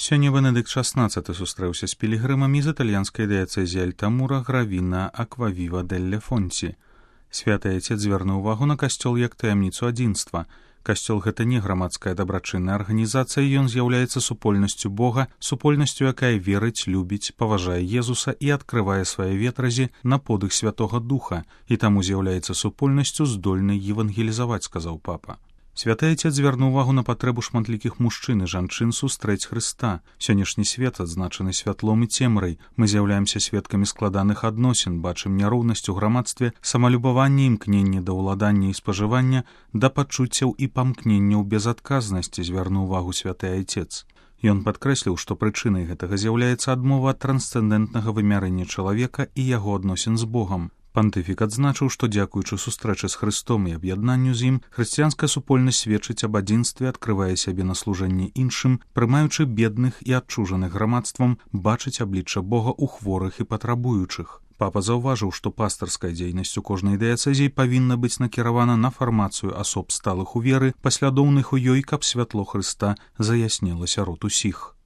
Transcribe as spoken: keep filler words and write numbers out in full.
Сёння Бенедыкт шаснаццаты сустрэўся з пілігрымамі з італьянскай дыяцэзіі Альтамура Гравіна Аквавіва делле Фонці. Святы Айцец звярнуў увагу на касцёл як таямніцу адзінства. Касцёл — гэта не грамадская дабрачынная арганізацыя, ён з'яўляецца супольнасцю Бога, супольнасцю, якая верыць, любіць, паважае Езуса і адкрывае свае ветразі на подых Святога Духа, і таму з'яўляецца супольнасцю здольнай евангелізаваць, сказаў папа. Святы Айцец звярнуў увагу на патрэбу шматлікіх мужчын і жанчын сустрэць Хрыста. Сённяшні свет адзначаны святлом і цемрай. Мы з'яўляемся сведкамі складаных адносін, бачым няроўнасць у грамадстве, самалюбаванне, імкненне да ўладання і спажывання, да пачуццяў і памкненняў безадказнасці, звярнуў увагу святы Айцец. Ён падкрэсліў, што прычынай гэтага з'яўляецца адмова ад трансцэндэнтнага вымярэння чалавека і яго адносін з Богам. Пантыфік адзначыў, што дзякуючы сустрэчы з Хрыстом і аб'яднанню з ім, хрысціянская супольнасць сведчыць аб адзінстве, адкрывае сябе на служэнне іншым, прымаючы бедных і адчужаных грамадствам, бачыць аблічча Бога ў хворых і патрабуючых. Папа заўважыў, што пастырская дзейнасць у кожнай дыяцэзіі павінна быць накіравана на фармацыю асоб сталых у веры, паслядоўных у ёй, каб святло Хрыста заяснела сярод усіх.